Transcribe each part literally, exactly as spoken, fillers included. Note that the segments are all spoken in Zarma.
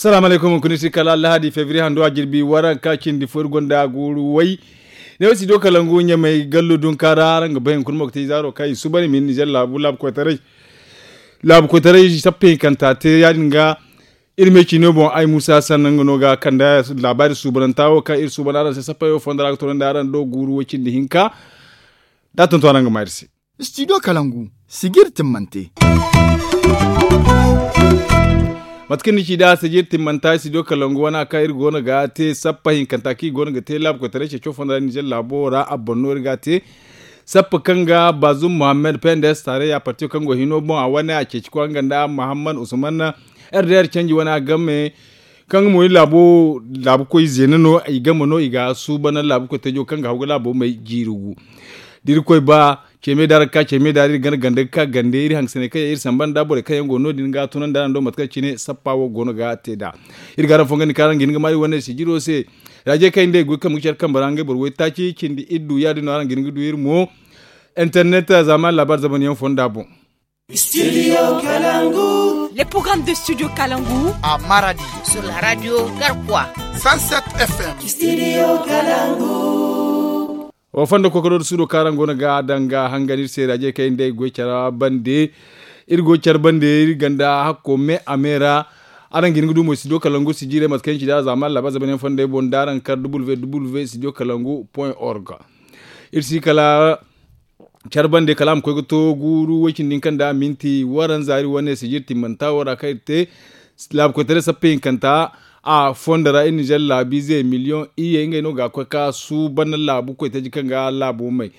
Salaamu alaykum, hunkuna iri se kala lahadi febriye hando a jirbi waranka cindi fo iri gonda guuru way. Ne wo studio kalangu ɲamay gallo dunka ra araŋ ga bay hunkuna mo ga te izaaro kaŋ i suuban i ma hin nizer laabu laabu koytaray. Laabu koytaray sappa hinkanta te ya- din ga. Iri me ciino boŋ ay muusa sanna nga no ga kande laabaari suubananta wo kaŋ iri suuban araŋ se sappey wo fondo ra ga toonandi araŋ do guuru way cindi hinka. Da a tonton araŋ ga maa iri se. Studio kalangu sijiri timmante. Mate kaŋ ni ci nd'a sijiri timmanta studio kalangu wane a kaŋ iri go no ga te sappa hinkanta kaŋ i go no ga te laabu koytaray ceeco fondo ra ninzeer laabo ra a boŋ no iri ga a te. Sappa kaŋ ga baazum muhammad pendes taareya partiyo kaŋ go hino boŋ a wane a ceeci kwaŋ ga nda muhammad usman. Rdr canji wane a game kaŋ mo i laabu koy zeena no i game no i ga suuban laabu koy teejo kaŋ ga haw ga laabo may jiiri gu. Da iri koy ba ceeme da ra ga ka ceeme da ra iri gana ganda ga ka gande iri hangasanay kaŋ yaŋ iri samba nda borey kaŋ yaŋ go no- din ga tunandi araŋ do mate kaŋ cine sappa wo go no ga te nd'a. Iri ga araŋ fongandi kaŋ araŋ ga hin ga maa iri wane sijiro se. Raaje kaŋ i nda ay goy kaŋ ga care kambe ra ngey boro waytaaci cindi iri du ya- din no araŋ ga hin ga du iri mo. Internet zaamaani laabaari zaban yaŋ fonda boŋ. Studio kalangu. Le programme de studio kalangu a maradi sur la radio garkwa. Cent sept f m. Studio kalangu. Wa fondo kokoro da suudo kaŋ araŋ go no ga a daŋ ga hangan iri se raaje kaŋ iri nda ay goy care bande. Iri goy care bande iri ganda hakko me a me ra. Araŋ ga hin ga du mo studio kalangu sijirey mate kaŋ iri ci da zaamaani laabaari zaban yaŋ fondey boŋ da araŋ kar www studio kalangu point org. Iri si kala care bande kala a ma koy ga to guuru way-cindi hinka nda minti waranza iri wane sijiri timmanta wo ra kaŋ iri te. Laabu koytaray sappa hinkanta a fondo ra iri ninzeer laabiize miliyoŋ iyye ngey no ga koy ka suuban laabu koytaji kaŋ ga laabo may.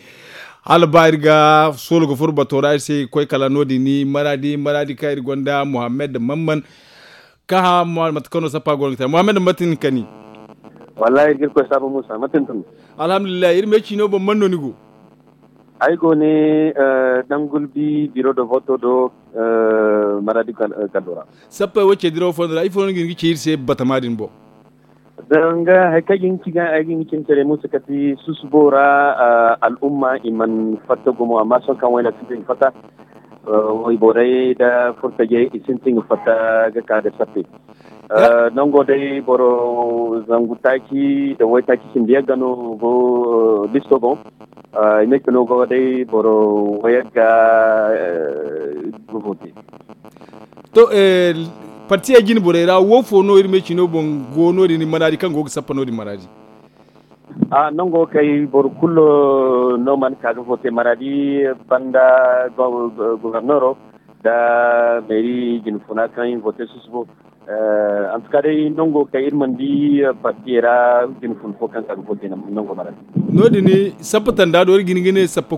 Hala ba iri ga soolo ga furo bato ra iri se koy kala no- din maradi maradi kaŋ iri gonda muhammad mamman. Kaŋ hã mate kaŋ no sappa go no ga te muhammad mate ni kani? Wallahi iri ga iri koy saabu muusa mate ni tun? Alhamdulillahi iri me ciino boŋ man no ni go? Ay go ne dangulbi biro do voto do maradi gallo ra. Sappey wo ce dirawo fondo ra ifo no ni ga hin ga ci iri se batama din boŋ? Danga hari kaŋ ay ga hin ga ci ga ay ga hin ga ci ni care muusa kati susubo ra. Al'umma i mana fatta gumo amma sohõ kaŋ wayna sintin ga fatta. Wayborey nda furtajey i sintin ga fatta ga ka nda sappe. Nango day boro zangu taaci nda waytaaci cindi yagga no go listo boŋ. I ne kino go day boro wayagga ga vote. To, partiyey jine borey ra wo fo no iri me cino boŋ go no- din manaadi kaŋ go ga sappa no- din manaadi? A nango kay boro kulu no mana ka ga vote maradi banda gobernoro nda meeri jinfuna kaŋ i vote susubo. Antuka day nango kay iri mana di partiyey ra jinfun fo kaŋ ka ga vote nango maradi. No- din sappa tanda do iri ga hin ga ne sappa